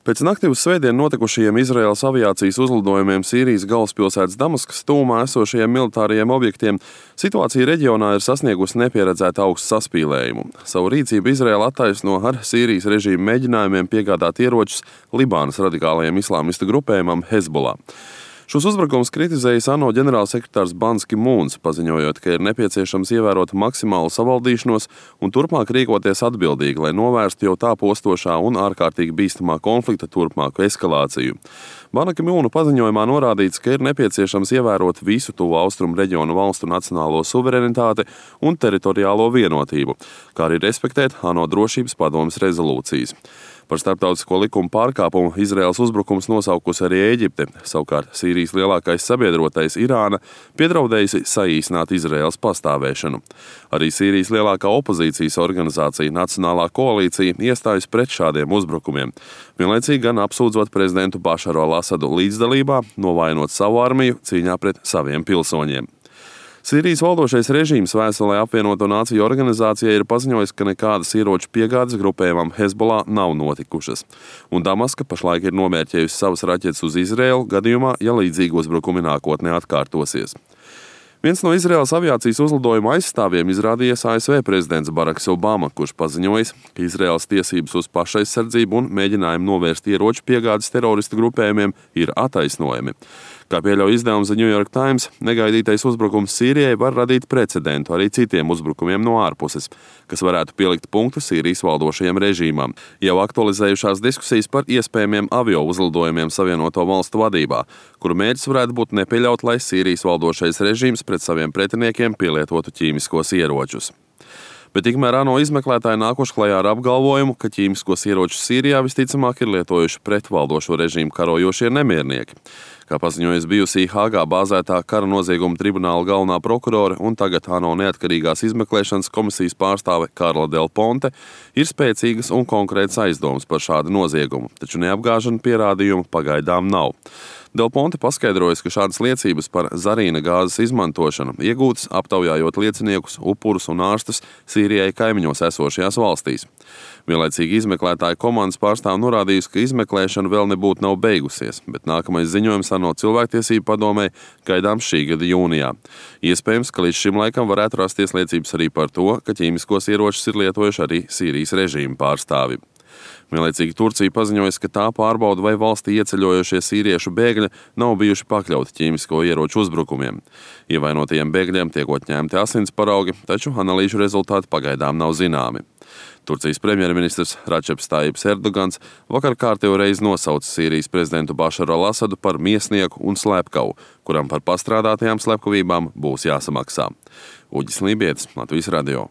Pēc nakti uz svētdienu notikušajiem Izraēlas aviācijas uzlidojumiem Sīrijas galvaspilsētas Damaskas tuvumā esošajiem militārajiem objektiem situācija reģionā ir sasniegusi nepieredzētu augstu saspīlējumu. Savu rīcību Izraēla attaisno ar Sīrijas režīma mēģinājumiem piegādāt ieročus Libānas radikālajiem islāmistu grupējumam Hezbollah. Šos uzbrukumus kritizējis ANO ģenerālsekretārs Bans Ki Mūns, paziņojot, ka ir nepieciešams ievērot maksimālu savaldīšanos un turpmāk rīkoties atbildīgi, lai novērstu jau tā postošā un ārkārtīgi bīstamā konflikta turpmāku eskalāciju. Bana Ki Mūna paziņojumā norādīts, ka ir nepieciešams ievērot visu tuvu austrumu reģionu valstu nacionālo suverenitāti un teritoriālo vienotību, kā arī respektēt ANO drošības padomes rezolūcijas. Par starptautisko likumu pārkāpumu Izraēlas uzbrukums nosaukusi arī Ēģipte, savukārt Sīrijas lielākais sabiedrotais Irāna piedraudējusi saīsināt Izraēlas pastāvēšanu. Arī Sīrijas lielākā opozīcijas organizācija Nacionālā koalīcija iestājas pret šādiem uzbrukumiem, vienlaicīgi gan apsūdzot prezidentu Bašaru al-Asadu līdzdalībā, novainot savu armiju cīņā pret saviem pilsoņiem. Sīrijas valdošais režīms vēstulē apvienoto nāciju organizācijai ir paziņojis, ka nekādas ieroču piegādes grupējumam Hezbollah nav notikušas, un Damaska pašlaik ir nomērķējusi savas raķetes uz Izraēlu gadījumā, ja līdzīgi uzbrukumi nākotnē atkārtosies. Viens no Izraēlas aviācijas uzlidojuma aizstāvjiem izrādījies ASV prezidents Baraks Obama, kurš paziņojis, ka Izraēlas tiesības uz pašaizsardzību un mēģinājumu novērst ieroču piegādes teroristu grupējumiem ir attaisnojami. Kā pieļauj izdevums The New York Times, negaidītais uzbrukums Sīrijai var radīt precedentu arī citiem uzbrukumiem no ārpuses, kas varētu pielikt punktu Sīrijas valdošajam režīmam. Jau aktualizējušās diskusijas par iespējamiem avio uzlidojumiem Savienoto valstu vadībā, kuru mērķis varētu būt nepieļaut, lai Sīrijas valdošais režīms pret saviem pretiniekiem pielietotu ķīmiskos ieročus. Bet tikmēr ANO izmeklētāji nākuši klajā ar apgalvojumu, ka ķīmiskos ieročus Sīrijā visticamāk ir lietojuši pret valdošo režīmu karojošie nemiernieki. Kā paziņojas bijusī Hāgā bāzētā kara nozieguma tribunāla galvenā prokurore un tagad ANO neatkarīgās izmeklēšanas komisijas pārstāve Karla Del Ponte, ir spēcīgas un konkrētas aizdomas par šādu noziegumu, taču neapgāžana pierādījumu pagaidām nav. Del Ponte paskaidrojas, ka šādas liecības par zarīna gāzes izmantošanu iegūtas aptaujājot lieciniekus, upurus un ārstus Sīrijai kaimiņos esošajās valstīs. Vienlaicīgi izmeklētāja komandas pārstāv norādījusi, ka izmeklēšana vēl nebūtu nav beigusies, bet nākamais ziņojums ANO cilvēktiesību padomē gaidāms šī gada jūnijā. Iespējams, ka līdz šim laikam varētu rasties liecības arī par to, ka ķīmiskos ieročus ir lietojuši arī Sīrijas režīma pārstāvi. Vienlaicīgi Turcija paziņojas, ka tā pārbauda, vai valstī ieceļojošie sīriešu bēgļi nav bijuši pakļauti ķīmisko ieroču uzbrukumiem. Ievainotajiem bēgļiem tiek ņemti asins paraugi, taču analīžu rezultāti pagaidām nav zināmi. Turcijas premjerministrs Račeps Tajips Erdogans vakar kārtējo reizi nosauca Sīrijas prezidentu Bašaru al-Asadu par miesnieku un slepkavu, kuram par pastrādātajām slepkavībām būs jāsamaksā. Uģis Lībietis, Latvijas radio.